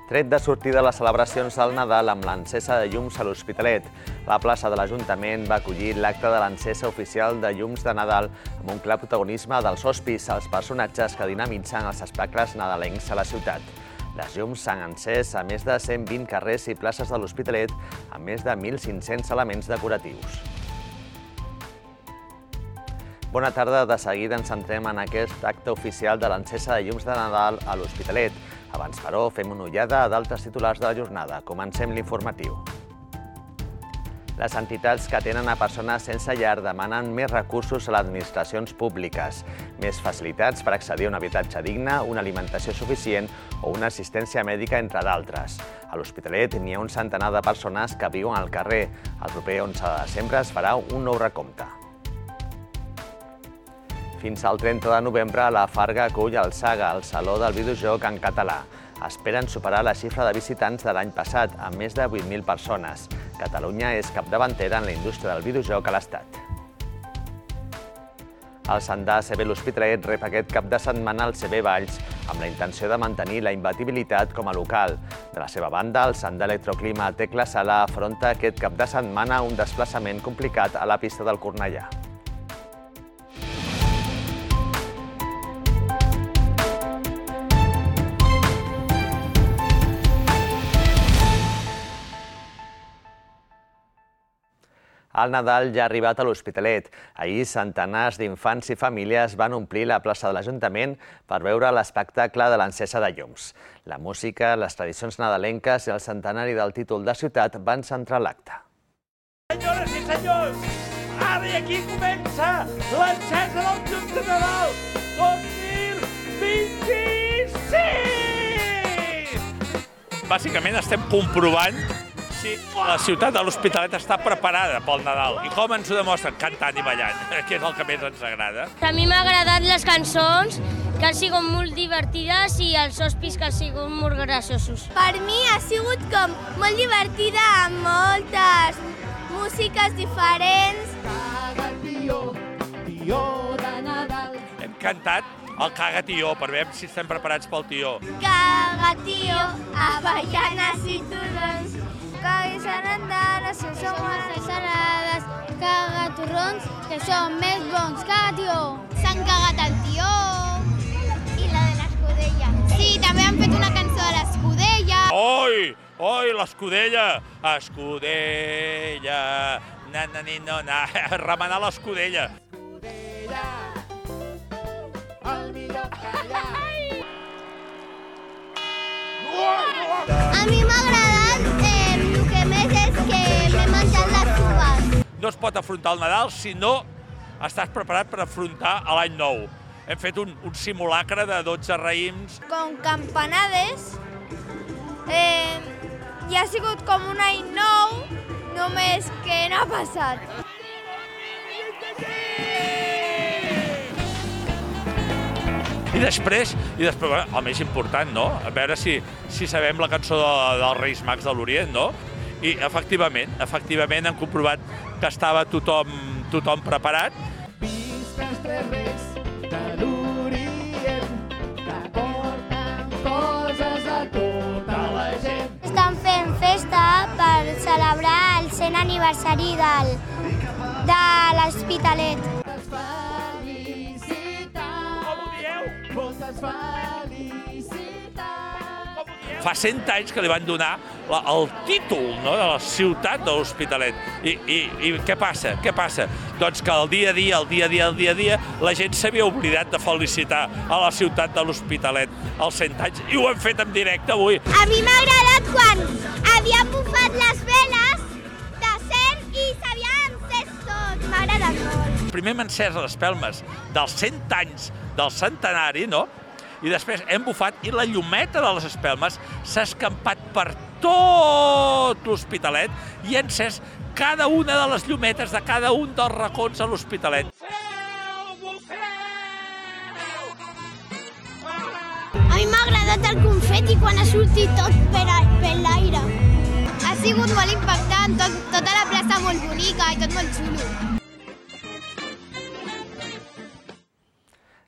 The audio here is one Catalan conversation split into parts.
Tret de sortir de les celebracions del Nadal amb l'encesa de llums a l'Hospitalet, la plaça de l'Ajuntament va acollir l'acte de l'encesa oficial de llums de Nadal amb un clar protagonisme dels hospis, els personatges que dinamitzen els espectacles nadalencs a la ciutat. Les llums s'han encès a més de 120 carrers i places de l'Hospitalet amb més de 1.500 elements decoratius. Bona tarda. De seguida ens centrem en aquest acte oficial de l'encesa de llums de Nadal a l'Hospitalet. Abans, però, fem una ullada a d'altres titulars de la jornada. Comencem l'informatiu. Les entitats que atenen a persones sense llar demanen més recursos a les administracions públiques, més facilitats per accedir a un habitatge digne, una alimentació suficient o una assistència mèdica, entre d'altres. A l'Hospitalet n'hi ha un centenar de persones que viuen al carrer. El proper 11 de desembre es farà un nou recompte. Fins al 30 de novembre, la Farga acull el Saga, el Saló del Videojoc en català. Esperen superar la xifra de visitants de l'any passat, amb més de 8.000 persones. Catalunya és capdavantera en la indústria del videojoc a l'Estat. El Sandà CB l'Hospitalet rep aquest cap de setmana el CB Valls amb la intenció de mantenir la imbatibilitat com a local. De la seva banda, el Sandà Electroclima Tecla Sala afronta aquest cap de setmana un desplaçament complicat a la pista del Cornellà. El Nadal ja ha arribat a l'Hospitalet. Ahir, centenars d'infants i famílies van omplir la plaça de l'Ajuntament per veure l'espectacle de l'encesa de llums. La música, les tradicions nadalenques i el centenari del títol de ciutat van centrar l'acte. Senyores i senyors, ara i aquí comença l'encesa dels llums de Nadal 2026! Bàsicament estem comprovant si la ciutat de l'Hospitalet està preparada pel Nadal. I com ens ho demostren? Cantant i ballant, que és el que més ens agrada. A mi m'ha agradat les cançons, que han sigut molt divertides, i els hospis, que han sigut molt graciosos. Per mi ha sigut com molt divertida, amb moltes músiques diferents. Caga tió, tió de Nadal. Hem cantat el Caga tió, per veure si estem preparats pel tió. Caga tió, avellanes i torrons. Caga sarandanes, que són bones salades. Caga torrons, que són més bons. Caga tió. S'han cagat el tió. I la de l'escudella. Sí, també han fet una cançó de l'escudella. Oi, oi, l'escudella. Escudella. Na, na, ni, no, na. Remenar l'escudella. Escudella, el millor callar. A mi m'ha agradat, el que més és que m'he menjat les uves. No es pot afrontar el Nadal si no estàs preparat per afrontar l'any nou. Hem fet un simulacre de 12 raïms. Com campanades, i ha sigut com un any nou, només que no ha passat. I després, el més important, no? A veure si sabem la cançó dels Reis Mags de l'Orient, no? I efectivament hem comprovat que estava tothom preparat. Visca els tres reis de l'Orient, que porten coses a tota la gent. Estan fent festa per celebrar el 100 aniversari de l'Hospitalet. Moltes felicitats. Fa 100 anys que li van donar el títol, no?, de la ciutat de l'Hospitalet. I què passa? Doncs que el dia a dia, la gent s'havia oblidat de felicitar a la ciutat de l'Hospitalet els 100 anys, i ho hem fet en directe avui. A mi m'ha agradat quan havien bufat les veles de 100 i s'havien encès tot. M'ha agradat molt. Primer hem encès les espelmes dels 100 anys del centenari, no? I després hem bufat i la llumeta de les espelmes s'ha escampat per tot l'Hospitalet i ha encès cada una de les llumetes de cada un dels racons a l'Hospitalet. A mi m'ha agradat el confeti quan ha sortit tot per l'aire. Ha sigut molt impactant, tota la plaça molt bonica i tot molt xulo.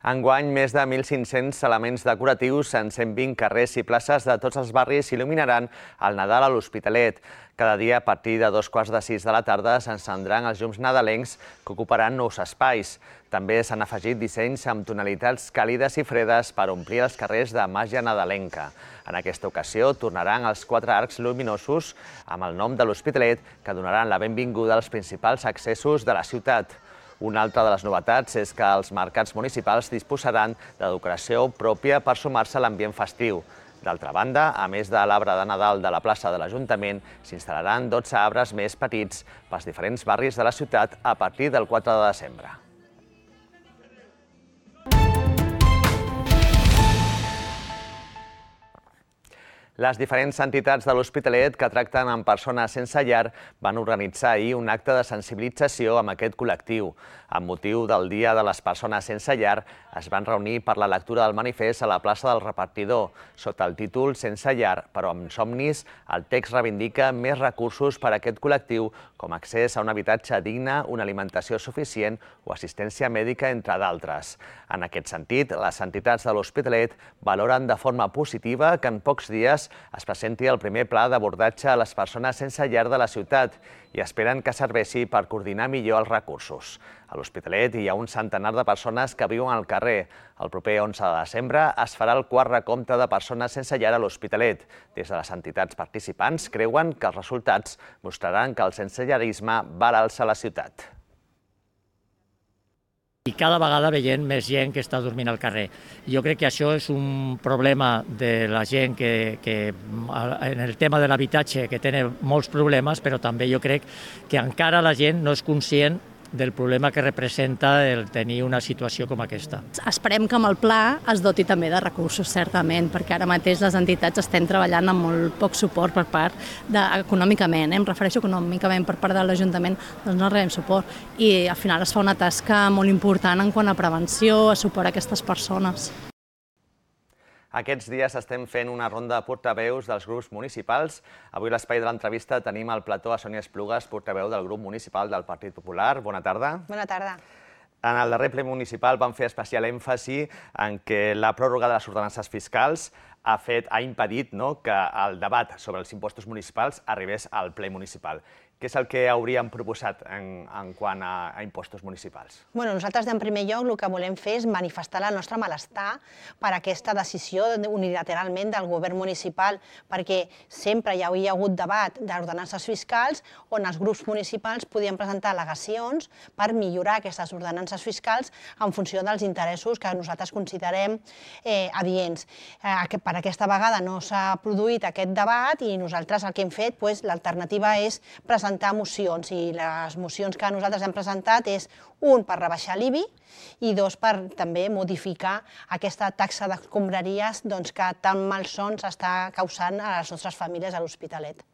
Enguany, més de 1.500 elements decoratius en 120 carrers i places de tots els barris il·luminaran el Nadal a l'Hospitalet. Cada dia, a partir de 5:45 de la tarda, s'encendran els llums nadalencs que ocuparan nous espais. També s'han afegit dissenys amb tonalitats càlides i fredes per omplir els carrers de màgia nadalenca. En aquesta ocasió tornaran els 4 arcs luminosos amb el nom de l'Hospitalet que donaran la benvinguda als principals accessos de la ciutat. Una altra de les novetats és que els mercats municipals disposaran de decoració pròpia per sumar-se a l'ambient festiu. D'altra banda, a més de l'arbre de Nadal de la plaça de l'Ajuntament, s'instal·laran 12 arbres més petits pels diferents barris de la ciutat a partir del 4 de desembre. Les diferents entitats de l'Hospitalet que tracten amb persones sense llar van organitzar ahir un acte de sensibilització amb aquest col·lectiu. Amb motiu del Dia de les Persones Sense Llar, es van reunir per la lectura del manifest a la plaça del Repartidor. Sota el títol Sense llar, però amb somnis, el text reivindica més recursos per a aquest col·lectiu, com accés a un habitatge digne, una alimentació suficient o assistència mèdica, entre d'altres. En aquest sentit, les entitats de l'Hospitalet valoren de forma positiva que en pocs dies es presenti el primer pla d'abordatge a les persones sense llar de la ciutat i esperen que serveixi per coordinar millor els recursos. A l'Hospitalet hi ha un centenar de persones que viuen al carrer. El proper 11 de desembre es farà el quart recompte de persones sense llar a l'Hospitalet. Des de les entitats participants creuen que els resultats mostraran que el sensellarisme va a l'alça a la ciutat. I cada vegada veient més gent que està dormint al carrer. Jo crec que això és un problema de la gent que en el tema de l'habitatge que té molts problemes, però també jo crec que encara la gent no és conscient del problema que representa el tenir una situació com aquesta. Esperem que amb el pla es doti també de recursos, certament, perquè ara mateix les entitats estem treballant amb molt poc suport per part econòmicament, em refereixo econòmicament per part de l'Ajuntament, doncs no rebem suport. I al final es fa una tasca molt important en quant a prevenció, a suport a aquestes persones. Aquests dies estem fent una ronda de portaveus dels grups municipals. Avui a l'espai de l'entrevista tenim al plató a Sònia Esplugues, portaveu del grup municipal del Partit Popular. Bona tarda. Bona tarda. En el darrer ple municipal vam fer especial èmfasi en que la pròrroga de les ordenances fiscals ha impedit que el debat sobre els impostos municipals arribés al ple municipal. Què és el que hauríem proposat en quant a impostos municipals? Nosaltres, en primer lloc, el que volem fer és manifestar el nostre malestar per aquesta decisió unilateralment del govern municipal, perquè sempre hi havia hagut debat d'ordenances fiscals on els grups municipals podien presentar al·legacions per millorar aquestes ordenances fiscals en funció dels interessos que nosaltres considerem adients. Per aquesta vegada no s'ha produït aquest debat i nosaltres el que hem fet, l'alternativa és presentar mocions, i les mocions que nosaltres hem presentat és, un, per rebaixar l'IBI i dos, per també modificar aquesta taxa d'escombraries que tan malsons està causant a les nostres famílies a l'Hospitalet.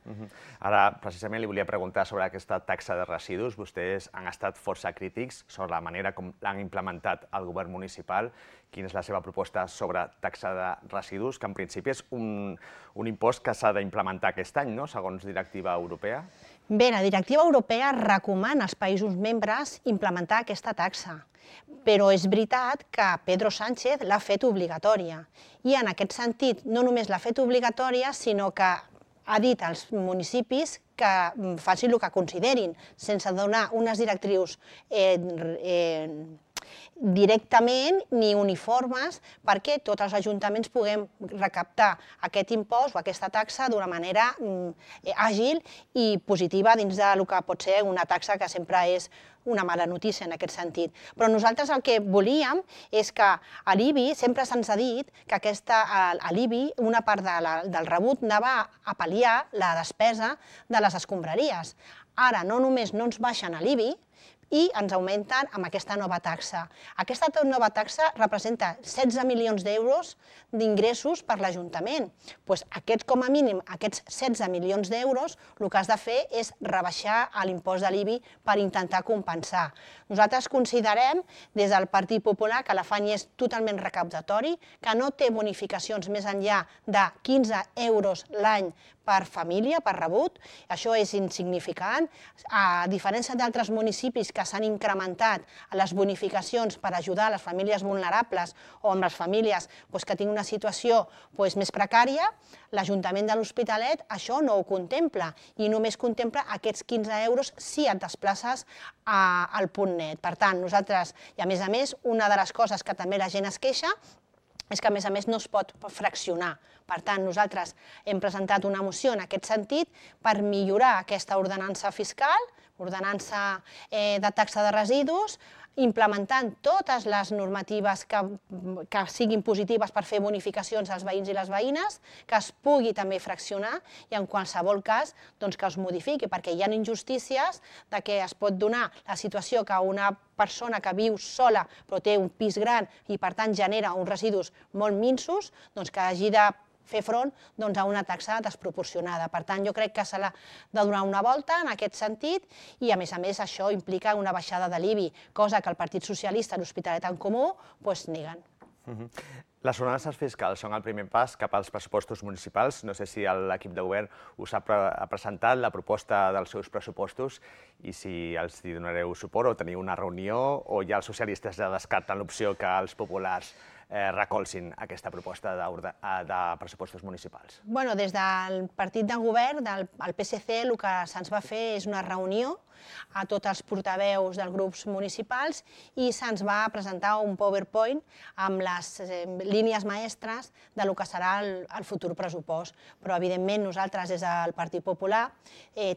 Ara, precisament, li volia preguntar sobre aquesta taxa de residus. Vostès han estat força crítics sobre la manera com l'han implementat el govern municipal. Quina és la seva proposta sobre taxa de residus, que en principi és un impost que s'ha d'implementar aquest any, segons directiva europea? Bé, la directiva europea recomana als països membres implementar aquesta taxa, però és veritat que Pedro Sánchez l'ha fet obligatòria. I en aquest sentit, no només l'ha fet obligatòria, sinó que ha dit als municipis que facin el que considerin, sense donar unes directrius directament ni uniformes perquè tots els ajuntaments puguem recaptar aquest impost o aquesta taxa d'una manera àgil i positiva dins del que pot ser una taxa que sempre és una mala notícia en aquest sentit. Però nosaltres el que volíem és que a l'IBI sempre se'ns ha dit que a l'IBI una part del rebut anava a pal·liar la despesa de les escombraries. Ara no només no ens baixen a l'IBI, i ens augmenten amb aquesta nova taxa. Aquesta nova taxa representa 16 milions d'euros d'ingressos per l'Ajuntament. Com a mínim, aquests 16 milions d'euros, el que has de fer és rebaixar l'impost de l'IBI per intentar compensar. Nosaltres considerem, des del Partit Popular, que l'afany és totalment recaptatori, que no té bonificacions més enllà de 15 euros l'any per família, per rebut. Això és insignificant. A diferència d'altres municipis que s'han incrementat les bonificacions per ajudar les famílies vulnerables o amb les famílies que tinguin una situació més precària, l'Ajuntament de l'Hospitalet això no ho contempla i només contempla aquests 15 euros si et desplaces al punt net. Per tant, nosaltres, i a més, una de les coses que també la gent es queixa és que, a més, no es pot fraccionar. Per tant, nosaltres hem presentat una moció en aquest sentit per millorar aquesta ordenança fiscal, ordenança de taxa de residus, implementant totes les normatives que siguin positives per fer bonificacions als veïns i les veïnes, que es pugui també fraccionar i en qualsevol cas que es modifiqui, perquè hi ha injustícies de que es pot donar la situació que una persona que viu sola però té un pis gran i per tant genera uns residus molt minsos, que hagi de fer front a una taxa desproporcionada. Per tant, jo crec que s'ha de donar una volta en aquest sentit i, a més, això implica una baixada de l'IBI, cosa que el Partit Socialista i l'Hospitalet en Comú neguen. Les ordenances fiscals són el primer pas cap als pressupostos municipals. No sé si l'equip de govern us ha presentat la proposta dels seus pressupostos i si els donareu suport o teniu una reunió o ja els socialistes ja descarten l'opció que els populars recolzin aquesta proposta de pressupostos municipals. Des del partit de govern, del PSC, el que se'ns va fer és una reunió a tots els portaveus dels grups municipals i se'ns va presentar un PowerPoint amb les línies maestres del que serà el futur pressupost. Però, evidentment, nosaltres, des del Partit Popular,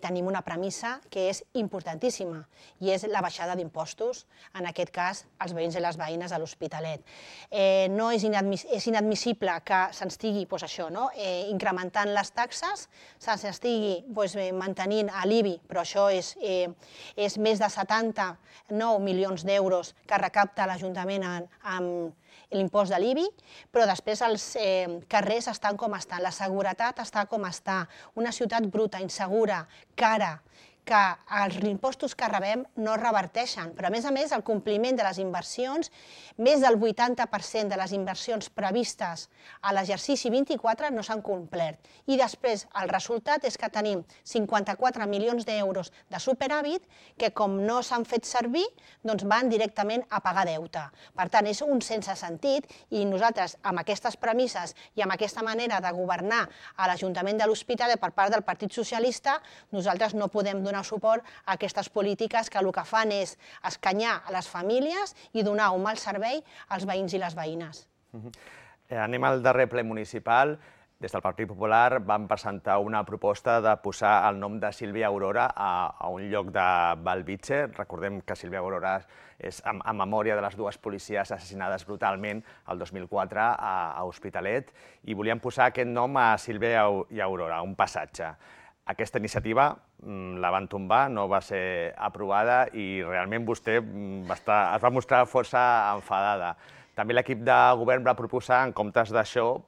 tenim una premissa que és importantíssima i és la baixada d'impostos, en aquest cas, als veïns i les veïnes de l'Hospitalet. No és inadmissible que s'estigui incrementant les taxes, s'estigui mantenint l'IBI, però això és més de 79 milions d'euros que recapta l'Ajuntament amb l'impost de l'IBI, però després els carrers estan com estan, la seguretat està com està, una ciutat bruta, insegura, cara, que els impostos que rebem no reverteixen, però a més, el compliment de les inversions, més del 80% de les inversions previstes a l'exercici 24 no s'han complert. I després el resultat és que tenim 54 milions d'euros de superàvit que, com no s'han fet servir, van directament a pagar deute. Per tant, és un sense sentit i nosaltres, amb aquestes premisses i amb aquesta manera de governar a l'Ajuntament de l'Hospitalet per part del Partit Socialista, nosaltres no podem donar suport a aquestes polítiques que el que fan és escanyar a les famílies i donar un mal servei als veïns i les veïnes. Anem al darrer ple municipal. Des del Partit Popular vam presentar una proposta de posar el nom de Sílvia Aurora a un lloc de Bellvitge. Recordem que Sílvia Aurora és en memòria de les dues policies assassinades brutalment el 2004 a Hospitalet i volíem posar aquest nom a Sílvia i Aurora, un passatge. Aquesta iniciativa la van tombar, no va ser aprovada i realment vostè es va mostrar força enfadada. També l'equip de govern va proposar, en comptes d'això,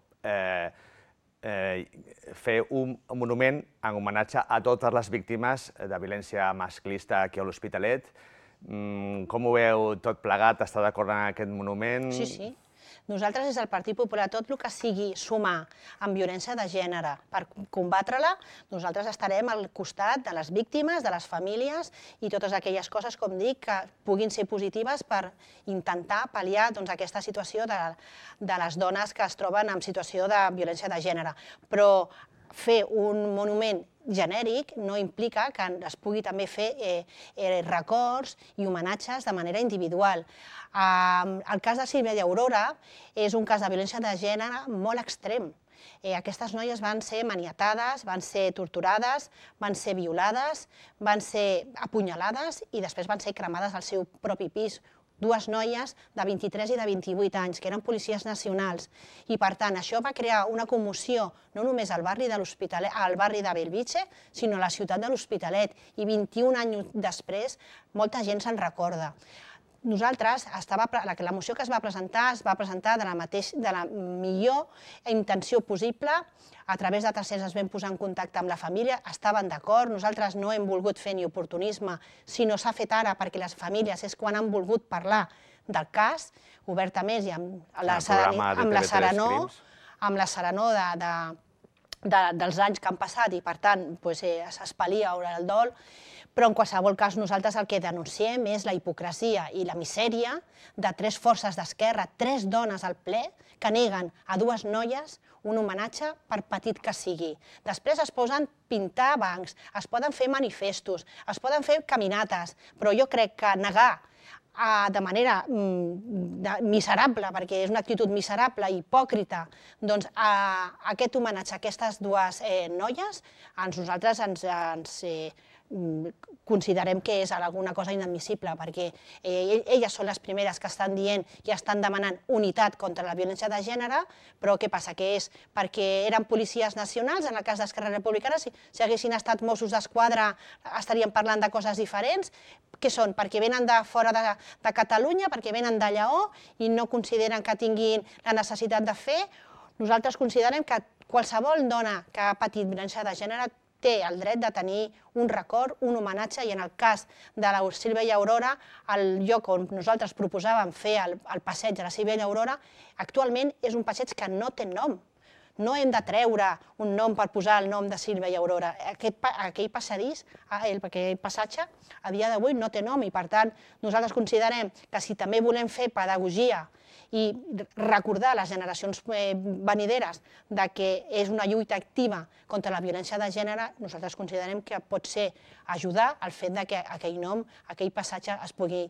fer un monument en homenatge a totes les víctimes de violència masclista aquí a l'Hospitalet. Com ho veu tot plegat? Està d'acord en aquest monument? Sí. Nosaltres, des del Partit Popular, tot el que sigui sumar amb violència de gènere per combatre-la, nosaltres estarem al costat de les víctimes, de les famílies i totes aquelles coses, com dic, que puguin ser positives per intentar pal·liar aquesta situació de les dones que es troben en situació de violència de gènere. Però fer un monument genèric no implica que es pugui també fer records i homenatges de manera individual. El cas de Sílvia i Aurora és un cas de violència de gènere molt extrem. Aquestes noies van ser maniatades, van ser torturades, van ser violades, van ser apunyalades i després van ser cremades al seu propi pis. Dues noies de 23 i de 28 anys, que eren policies nacionals. I, per tant, això va crear una commoció no només al barri de l'Hospitalet, al barri de Bellvitge, sinó a la ciutat de l'Hospitalet. I 21 anys després, molta gent se'n recorda. Nosaltres, la moció que es va presentar de la millor intenció possible. A través de tercers es vam posar en contacte amb la família, estaven d'acord, nosaltres no hem volgut fer ni oportunisme, sinó s'ha fet ara perquè les famílies és quan han volgut parlar del cas, obertament, i amb la serenor dels anys que han passat i, per tant, s'espalia el dol, però en qualsevol cas nosaltres el que denunciem és la hipocresia i la misèria de 3 forces d'esquerra, 3 dones al ple, que neguen a 2 noies un homenatge per petit que sigui. Després es posen pintar bancs, es poden fer manifestos, es poden fer caminates, però jo crec que negar de manera miserable, perquè és una actitud miserable i hipòcrita, doncs aquest homenatge a aquestes 2 noies, nosaltres ens considerem que és alguna cosa inadmissible, perquè elles són les primeres que estan dient i estan demanant unitat contra la violència de gènere, però què passa? Que és perquè eren policies nacionals, en el cas d'Esquerra Republicana, si haguessin estat Mossos d'Esquadra estaríem parlant de coses diferents. Què són? Perquè venen de fora de Catalunya, perquè venen de Lleó i no consideren que tinguin la necessitat de fer. Nosaltres considerem que qualsevol dona que ha patit violència de gènere té el dret de tenir un record, un homenatge, i en el cas de la Sílvia i Aurora, el lloc on nosaltres proposàvem fer el passeig de la Sílvia i Aurora, actualment és un passeig que no té nom. No hem de treure un nom per posar el nom de Sílvia i Aurora. Aquell passadís, aquell passatge, a dia d'avui no té nom i, per tant, nosaltres considerem que si també volem fer pedagogia i recordar a les generacions venideres que és una lluita activa contra la violència de gènere, nosaltres considerem que pot ser ajudar al fet que aquell nom, aquell passatge es pugui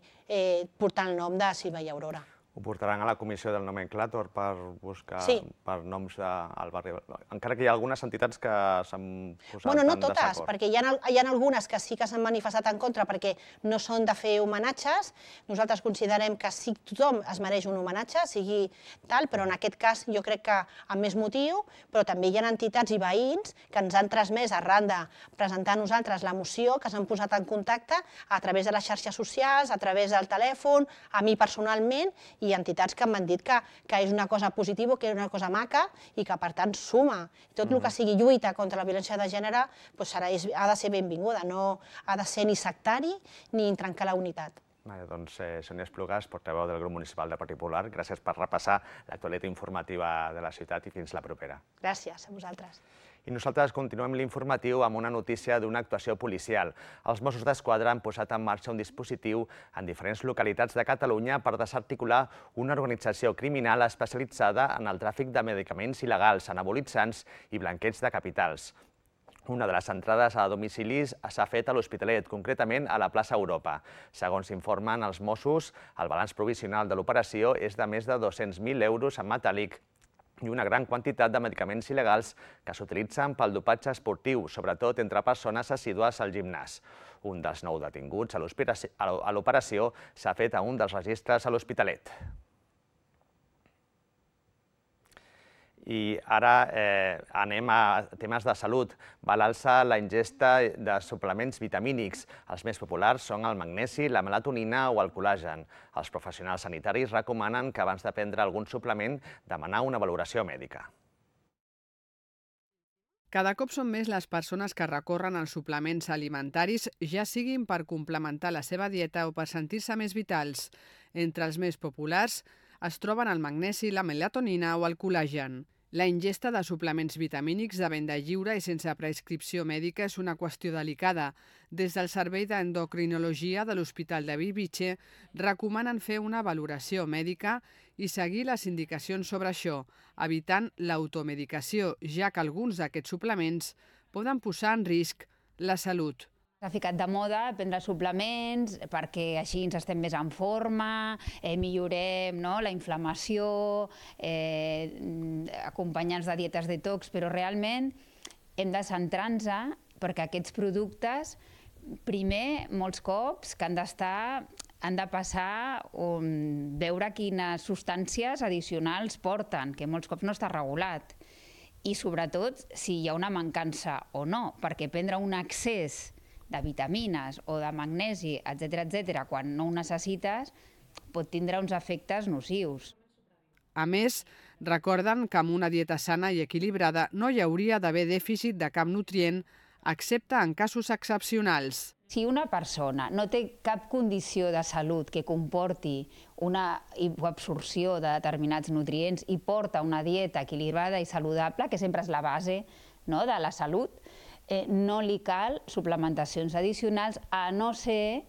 portar el nom de Sílvia i Aurora. Ho portaran a la comissió del nomenclàtor per buscar per noms al barri. Encara que hi ha algunes entitats que s'han posat en desacord. No totes, perquè hi ha algunes que sí que s'han manifestat en contra perquè no són de fer homenatges. Nosaltres considerem que sí, tothom es mereix un homenatge, sigui tal, però en aquest cas jo crec que amb més motiu, però també hi ha entitats i veïns que ens han transmès arran de presentar a nosaltres la moció, que s'han posat en contacte a través de les xarxes socials, a través del telèfon, a mi personalment, i entitats que m'han dit que és una cosa positiva, que és una cosa maca i que, per tant, suma. Tot el que sigui lluita contra la violència de gènere ha de ser benvinguda, no ha de ser ni sectari ni trencar la unitat. Doncs Sònia Esplugas, portaveu del grup municipal del Partit Popular, gràcies per repassar l'actualitat informativa de la ciutat i fins la propera. Gràcies a vosaltres. I nosaltres continuem l'informatiu amb una notícia d'una actuació policial. Els Mossos d'Esquadra han posat en marxa un dispositiu en diferents localitats de Catalunya per desarticular una organització criminal especialitzada en el tràfic de medicaments il·legals, anabolitzants i blanqueig de capitals. Una de les entrades a domicilis s'ha fet a l'Hospitalet, concretament a la plaça Europa. Segons informen els Mossos, el balanç provisional de l'operació és de més de 200.000 euros en metàl·lic i una gran quantitat de medicaments il·legals que s'utilitzen pel dopatge esportiu, sobretot entre persones assidues al gimnàs. Un dels 9 detinguts a l'operació s'ha fet a un dels registres a l'Hospitalet. I ara anem a temes de salut. Va a l'alça la ingesta de suplements vitamínics. Els més populars són el magnesi, la melatonina o el col·lagen. Els professionals sanitaris recomanen que abans de prendre algun suplement demanar una valoració mèdica. Cada cop són més les persones que recorren als suplements alimentaris, ja siguin per complementar la seva dieta o per sentir-se més vitals. Entre els més populars es troben el magnesi, la melatonina o el col·lagen. La ingesta de suplements vitamínics de venda lliure i sense prescripció mèdica és una qüestió delicada. Des del Servei d'Endocrinologia de l'Hospital de Bellvitge recomanen fer una valoració mèdica i seguir les indicacions sobre això, evitant l'automedicació, ja que alguns d'aquests suplements poden posar en risc la salut. S'ha ficat de moda prendre suplements perquè així ens estem més en forma, millorem la inflamació, acompanyants de dietes detox, però realment hem de centrar-nos perquè aquests productes, primer, molts cops, que han de passar veure quines substàncies addicionals porten, que molts cops no està regulat. I sobretot si hi ha una mancança o no, perquè prendre un excés de vitamines o de magnesi, etc., quan no ho necessites, pot tindre uns efectes nocius. A més, recorden que amb una dieta sana i equilibrada no hi hauria d'haver dèficit de cap nutrient, excepte en casos excepcionals. Si una persona no té cap condició de salut que comporti una hipoabsorció de determinats nutrients i porta una dieta equilibrada i saludable, que sempre és la base de la salut, no li cal suplementacions addicionals, a no ser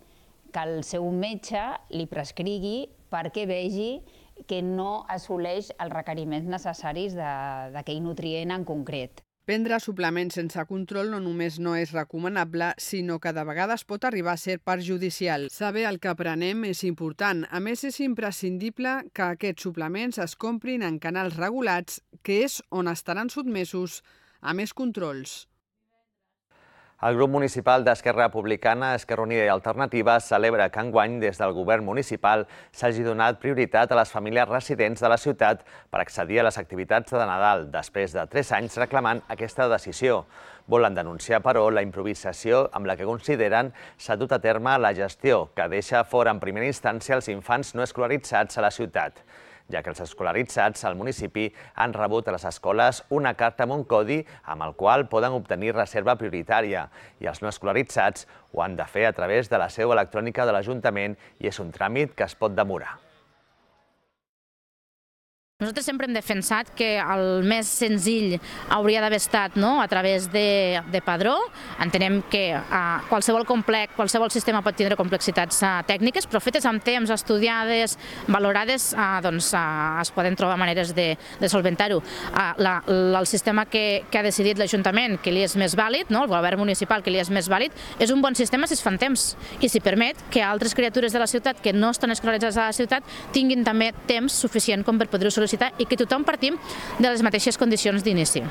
que el seu metge li prescrigui perquè vegi que no assoleix els requeriments necessaris d'aquell nutrient en concret. Prendre suplements sense control no només no és recomanable, sinó que de vegades pot arribar a ser perjudicial. Saber el que prenem és important. A més, és imprescindible que aquests suplements es comprin en canals regulats, que és on estaran sotmesos a més controls. El grup municipal d'Esquerra Republicana, Esquerra Unida i Alternativa celebra que enguany des del govern municipal s'hagi donat prioritat a les famílies residents de la ciutat per accedir a les activitats de Nadal, després de 3 anys reclamant aquesta decisió. Volen denunciar, però, la improvisació amb la que consideren s'ha dut a terme la gestió, que deixa fora en primera instància els infants no escolaritzats a la ciutat, ja que els escolaritzats al municipi han rebut a les escoles una carta amb un codi amb el qual poden obtenir reserva prioritària i els no escolaritzats ho han de fer a través de la seu electrònica de l'Ajuntament i és un tràmit que es pot demorar. Nosaltres sempre hem defensat que el més senzill hauria d'haver estat a través de padró. Entenem que qualsevol qualsevol sistema pot tindre complexitats tècniques, però fetes amb temps, estudiades, valorades, es poden trobar maneres de solventar-ho. El sistema que ha decidit l'Ajuntament, que li és més vàlid, el govern municipal que li és més vàlid, és un bon sistema si es fan temps i si permet que altres criatures de la ciutat que no estan escolaritzades a la ciutat tinguin també temps suficient com per poder-ho sol·licitar i que tothom partim de les mateixes condicions d'inici.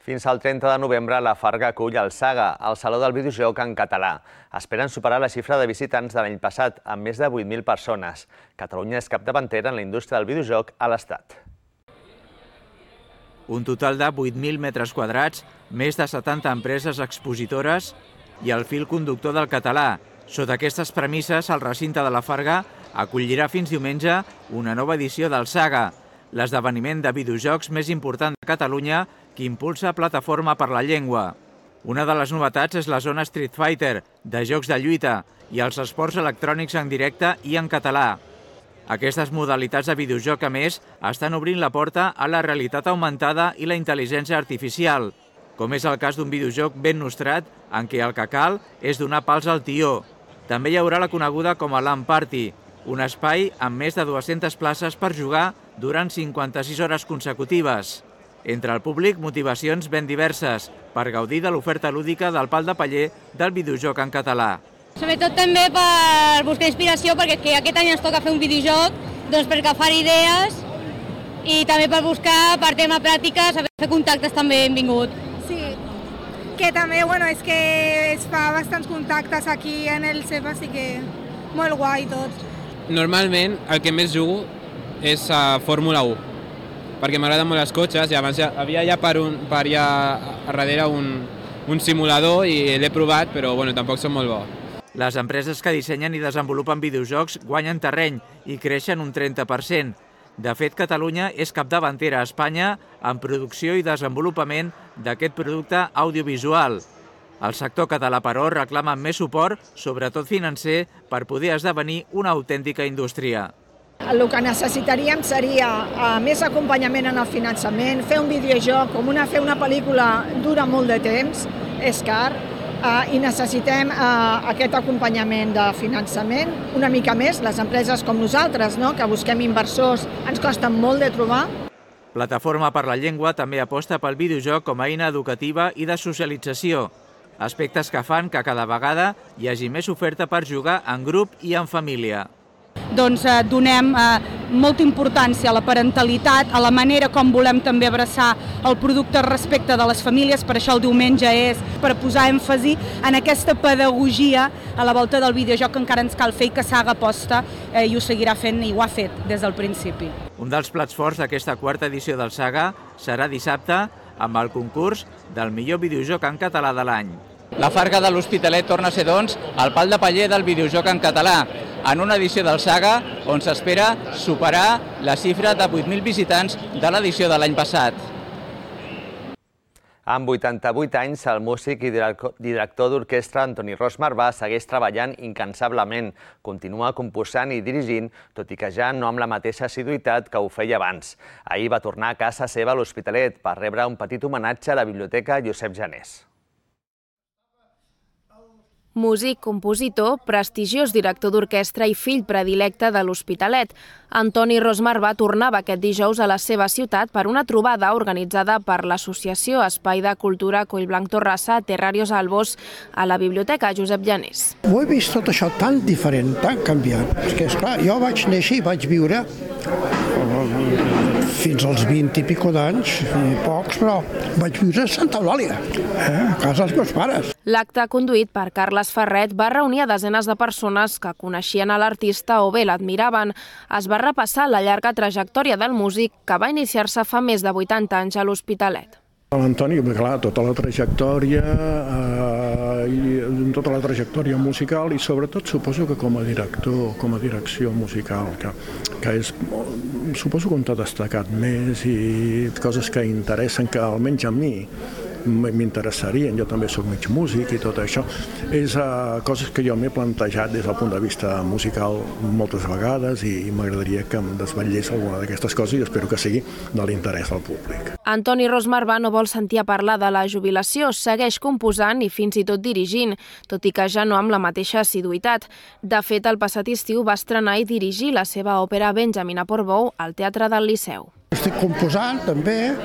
Fins al 30 de novembre, la Farga acull el Saga, el Saló del Videojoc en català. Esperen superar la xifra de visitants de l'any passat, amb més de 8.000 persones. Catalunya és capdavantera en la indústria del videojoc a l'Estat. Un total de 8.000 metres quadrats, més de 70 empreses expositores i el fil conductor del català. Sota aquestes premisses, el recinte de la Farga acollirà fins diumenge una nova edició del Saga, l'esdeveniment de videojocs més important de Catalunya que impulsa Plataforma per la Llengua. Una de les novetats és la zona Street Fighter, de jocs de lluita, i els esports electrònics en directe i en català. Aquestes modalitats de videojoc, a més, estan obrint la porta a la realitat augmentada i la intel·ligència artificial, com és el cas d'un videojoc ben nostrat en què el que cal és donar pals al tió. També hi haurà la coneguda com a LAN Party, un espai amb més de 200 places per jugar durant 56 hores consecutives. Entre el públic, motivacions ben diverses per gaudir de l'oferta lúdica del pal de paller del videojoc en català. Sobretot també per buscar inspiració, perquè aquest any ens toca fer un videojoc, doncs per agafar idees i també per buscar, per tema pràctica, saber fer contactes també benvingut. Sí, que també, és que es fa bastants contactes aquí en el CEP, així que molt guai tot. Normalment el que més jugo és a Fórmula 1, perquè m'agraden molt els cotxes i abans havia ja per allà darrere un simulador i l'he provat, però tampoc són molt bo. Les empreses que dissenyen i desenvolupen videojocs guanyen terreny i creixen un 30%. De fet, Catalunya és capdavantera a Espanya en producció i desenvolupament d'aquest producte audiovisual. El sector català, però, reclama més suport, sobretot financer, per poder esdevenir una autèntica indústria. El que necessitaríem seria més acompanyament en el finançament, fer un videojoc, fer una pel·lícula dura molt de temps, és car, i necessitem aquest acompanyament de finançament. Una mica més, les empreses com nosaltres, que busquem inversors, ens costen molt de trobar. Plataforma per la Llengua també aposta pel videojoc com a eina educativa i de socialització, aspectes que fan que cada vegada hi hagi més oferta per jugar en grup i en família. Donem molta importància a la parentalitat, a la manera com volem també abraçar el producte respecte de les famílies, per això el diumenge és per posar èmfasi en aquesta pedagogia a la volta del videojoc que encara ens cal fer i que Saga aposta i ho seguirà fent i ho ha fet des del principi. Un dels plats forts d'aquesta quarta edició del Saga serà dissabte amb el concurs del millor videojoc en català de l'any. La Farga de l'Hospitalet torna a ser, doncs, el pal de paller del videojoc en català, en una edició del Saga on s'espera superar la xifra de 8.000 visitants de l'edició de l'any passat. Amb 88 anys, el músic i director d'orquestra Antoni Ros Marvà segueix treballant incansablement, continua composant i dirigint, tot i que ja no amb la mateixa assiduïtat que ho feia abans. Ahir va tornar a casa seva a l'Hospitalet per rebre un petit homenatge a la Biblioteca Josep Janés. Músic, compositor, prestigiós director d'orquestra i fill predilecte de l'Hospitalet. Antoni Ros Marvà tornava aquest dijous a la seva ciutat per una trobada organitzada per l'Associació Espai de Cultura Collblanc Torrassa Terrarios Albos a la Biblioteca Josep Janés. Ho he vist tot això tan diferent, tan canviat. Perquè, esclar, jo vaig néixer i vaig viure fins als 20 i pico d'anys, pocs, però vaig viure a Santa Eulàlia, a casa dels meus pares. L'acte, conduït per Carles Ferret, va reunir a desenes de persones que coneixien a l'artista o bé l'admiraven. Es va repassar la llarga trajectòria del músic que va iniciar-se fa més de 80 anys a l'Hospitalet. L'Antoni, clar, tota la trajectòria musical i sobretot suposo que com a director, com a direcció musical, que és, suposo que on t'ha destacat més i coses que interessen, que almenys a mi m'interessarien, jo també soc mig músic i tot això, és coses que jo m'he plantejat des del punt de vista musical moltes vegades i m'agradaria que em desvetllés alguna d'aquestes coses i espero que sigui de l'interès del públic. Antoni Ros Marvà no vol sentir a parlar de la jubilació, segueix composant i fins i tot dirigint, tot i que ja no amb la mateixa assiduïtat. De fet, el passat estiu va estrenar i dirigir la seva òpera Benjamin a Portbou al Teatre del Liceu. Estic composant també,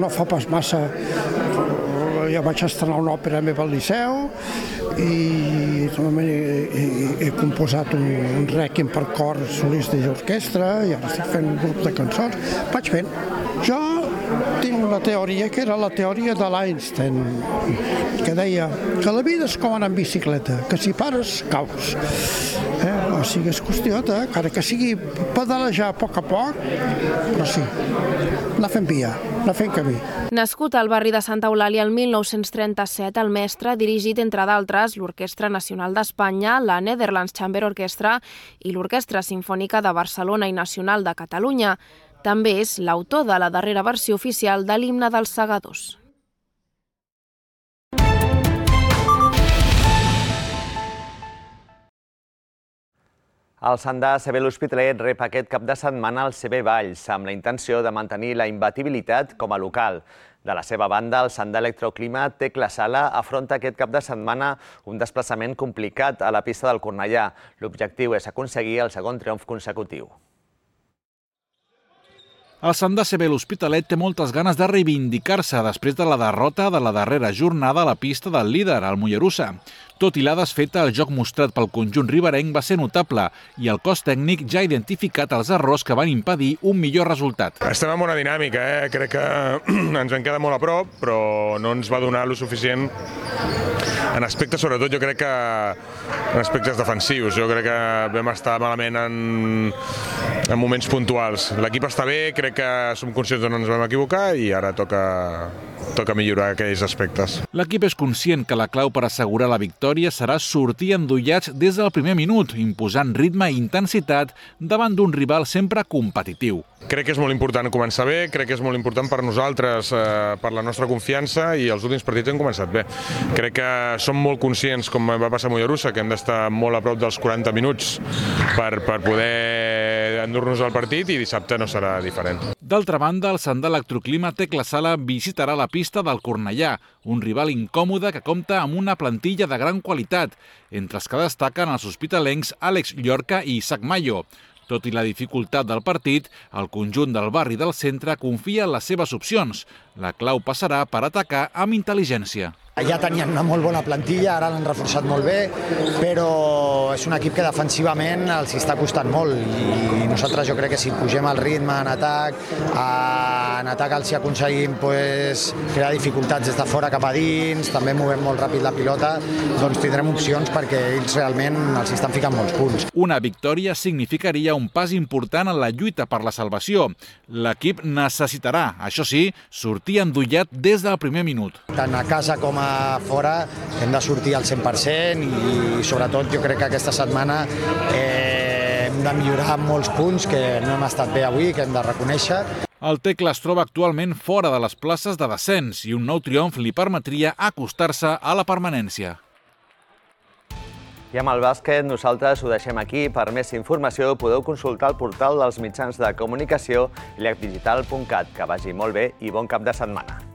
no fa pas massa, ja vaig estrenar una òpera meva al Liceu i he composat un rèquiem per cor solista i orquestra i ara estic fent un grup de cançons. Vaig fent. Jo tinc una teoria que era la teoria de l'Einstein, que deia que la vida és com anar en bicicleta, que si pares, caus. O sigui, és qüestió de, encara que sigui pedalejar a poc, però sí, anar fent via, anar fent camí. Nascut al barri de Santa Eulàlia el 1937, el mestre ha dirigit, entre d'altres, l'Orquestra Nacional d'Espanya, la Netherlands Chamber Orchestra i l'Orquestra Simfònica de Barcelona i Nacional de Catalunya. També és l'autor de la darrera versió oficial de l'himne dels Segadors. El Sandà CB l'Hospitalet rep aquest cap de setmana el CB Valls, amb la intenció de mantenir la imbatibilitat com a local. De la seva banda, el Sandà Electroclima Tecla Sala afronta aquest cap de setmana un desplaçament complicat a la pista del Cornellà. L'objectiu és aconseguir el segon triomf consecutiu. El Sandà CB l'Hospitalet té moltes ganes de reivindicar-se després de la derrota de la darrera jornada a la pista del líder, el Mollerussa. Tot i la desfeta, el joc mostrat pel conjunt riberenc va ser notable i el cos tècnic ja ha identificat els errors que van impedir un millor resultat. Estem en bona dinàmica, crec que ens vam quedar molt a prop, però no ens va donar lo suficient en aspectes, sobretot jo crec que en aspectes defensius. Jo crec que vam estar malament en moments puntuals. L'equip està bé, crec que som conscients on ens vam equivocar i ara toca millorar aquells aspectes. L'equip és conscient que la clau per assegurar la victòria serà sortir endollats des del primer minut, imposant ritme i intensitat davant d'un rival sempre competitiu. Crec que és molt important començar bé, crec que és molt important per nosaltres, per la nostra confiança, i els últims partits hem començat bé. Crec que som molt conscients, com va passar a Mollerussa, que hem d'estar molt a prop dels 40 minuts per poder endur-nos al partit i dissabte no serà diferent. D'altra banda, el Sandà Electroclima Tecla Sala visitarà la pista del Cornellà, un rival incòmode que compta amb una plantilla de gran qualitat, entre els que destaquen els hospitalencs Àlex Llorca i Isaac Mayo. Tot i la dificultat del partit, el conjunt del barri del centre confia en les seves opcions. La clau passarà per atacar amb intel·ligència. Ja tenien una molt bona plantilla, ara l'han reforçat molt bé, però és un equip que defensivament els està costant molt i nosaltres jo crec que si pugem el ritme en atac els aconseguim crear dificultats des de fora cap a dins, també movem molt ràpid la pilota, doncs tindrem opcions perquè ells realment els estan ficant molts punts. Una victòria significaria un pas important en la lluita per la salvació. L'equip necessitarà, això sí, sortir endollat des del primer minut. Tant a casa com a fora hem de sortir al 100% i sobretot jo crec que aquesta setmana hem de millorar molts punts que no hem estat bé avui, que hem de reconèixer. El Tecla es troba actualment fora de les places de descens i un nou triomf li permetria acostar-se a la permanència. I amb el bàsquet nosaltres ho deixem aquí. Per més informació podeu consultar el portal dels mitjans de comunicació lecdigital.cat. Que vagi molt bé i bon cap de setmana.